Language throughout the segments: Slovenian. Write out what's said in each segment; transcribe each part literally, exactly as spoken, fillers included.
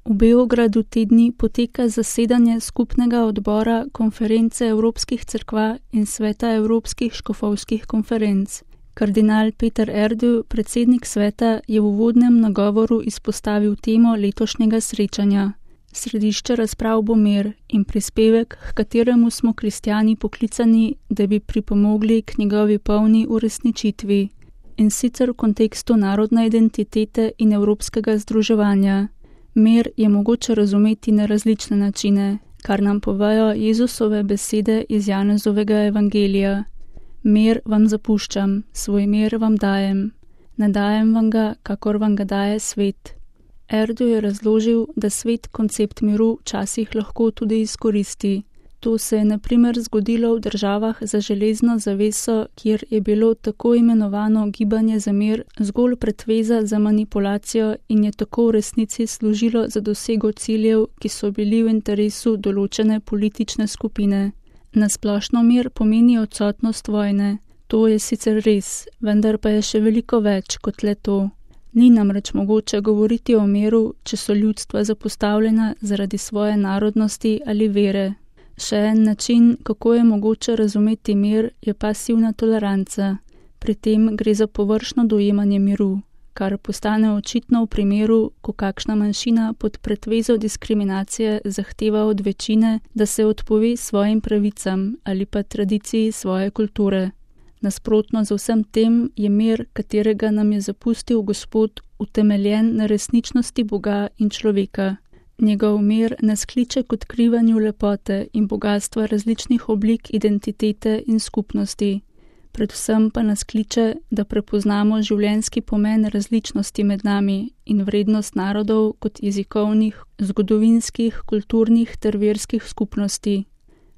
V Beogradu te dni poteka zasedanje skupnega odbora Konference evropskih cerkva in Sveta evropskih škofovskih konferenc. Kardinal Peter Erduj, predsednik sveta, je v uvodnem nagovoru izpostavil temo letošnjega srečanja. Središče razprav bo mir in prispevek, h kateremu smo kristjani poklicani, da bi pripomogli k njegovi polni uresničitvi. In sicer v kontekstu narodne identitete in evropskega združevanja. Mir je mogoče razumeti na različne načine, kar nam povejo Jezusove besede iz Janezovega evangelija. Mir vam zapuščam, svoj mir vam dajem. Ne dajem vam ga, kakor vam ga daje svet. Erduj je razložil, da svet koncept miru včasih lahko tudi izkoristi. To se je na primer zgodilo v državah za železno zaveso, kjer je bilo tako imenovano gibanje za mir zgolj pretveza za manipulacijo in je tako v resnici služilo za dosego ciljev, ki so bili v interesu določene politične skupine. Na splošno mir pomeni odsotnost vojne. To je sicer res, vendar pa je še veliko več kot le to. Ni namreč mogoče govoriti o miru, če so ljudstva zapostavljena zaradi svoje narodnosti ali vere. Še en način, kako je mogoče razumeti mir, je pasivna toleranca. Pri tem gre za površno dojemanje miru, kar postane očitno v primeru, ko kakšna manjšina pod pretvezo diskriminacije zahteva od večine, da se odpove svojim pravicam ali pa tradiciji svoje kulture. Nasprotno z vsem tem je mir, katerega nam je zapustil Gospod, utemeljen na resničnosti Boga in človeka. Njegov mir nas kliče k odkrivanju lepote in bogatstva različnih oblik identitete in skupnosti. Predvsem pa nas kliče, da prepoznamo življenjski pomen različnosti med nami in vrednost narodov kot jezikovnih, zgodovinskih, kulturnih ter verskih skupnosti.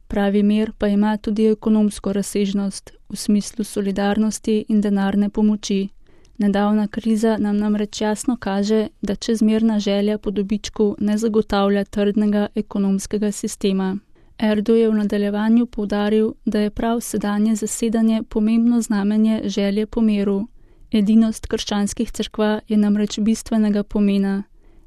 Pravi mir pa ima tudi ekonomsko razsežnost v smislu solidarnosti in denarne pomoči. Nedavna kriza nam namreč jasno kaže, da čezmerna želja po dobičku ne zagotavlja trdnega ekonomskega sistema. Erduj je v nadaljevanju poudaril, da je prav sedanje zasedanje pomembno znamenje želje po miru. Edinost krščanskih cerkva je namreč bistvenega pomena.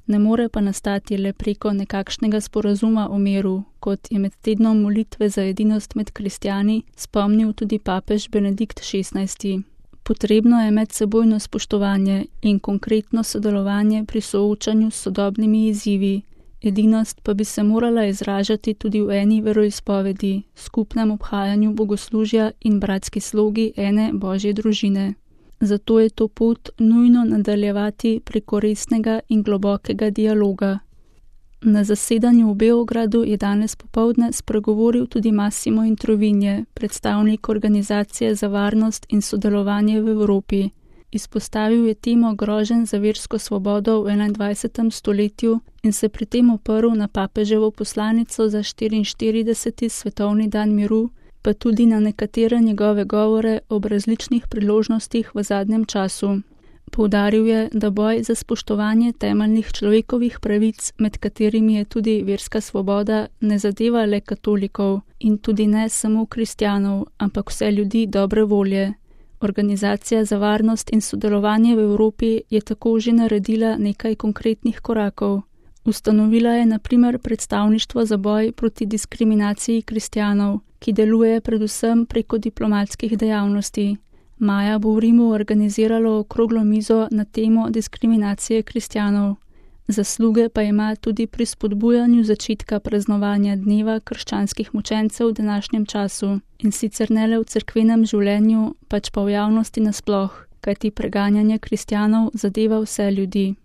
Ne more pa nastati le preko nekakšnega sporazuma o miru, kot je med tednom molitve za edinost med kristjani spomnil tudi papež Benedikt šestnajsti. Potrebno je medsebojno spoštovanje in konkretno sodelovanje pri soočanju s sodobnimi izzivi. Edinost pa bi se morala izražati tudi v eni veroizpovedi, skupnem obhajanju bogoslužja in bratski slogi ene Božje družine. Zato je to pot nujno nadaljevati preko resnega in globokega dialoga. Na zasedanju v Beogradu je danes popoldne spregovoril tudi Massimo Introvigne, predstavnik Organizacije za varnost in sodelovanje v Evropi. Izpostavil je temo groženj za versko svobodo v enaindvajsetem stoletju in se pri tem oprl na papeževo poslanico za štiriinštirideseti svetovni dan miru, pa tudi na nekatere njegove govore ob različnih priložnostih v zadnjem času. Poudaril je, da boj za spoštovanje temeljnih človekovih pravic, med katerimi je tudi verska svoboda, ne zadeva le katolikov in tudi ne samo kristjanov, ampak vse ljudi dobre volje. Organizacija za varnost in sodelovanje v Evropi je tako že naredila nekaj konkretnih korakov. Ustanovila je na primer predstavništvo za boj proti diskriminaciji kristjanov, ki deluje predvsem preko diplomatskih dejavnosti. Maja bo v Rimu organiziralo okroglo mizo na temo diskriminacije kristjanov. Zasluge pa ima tudi pri spodbujanju začetka praznovanja dneva krščanskih mučencev v današnjem času, in sicer ne le v cerkvenem življenju, pač pa v javnosti nasploh, kajti preganjanje kristjanov zadeva vse ljudi.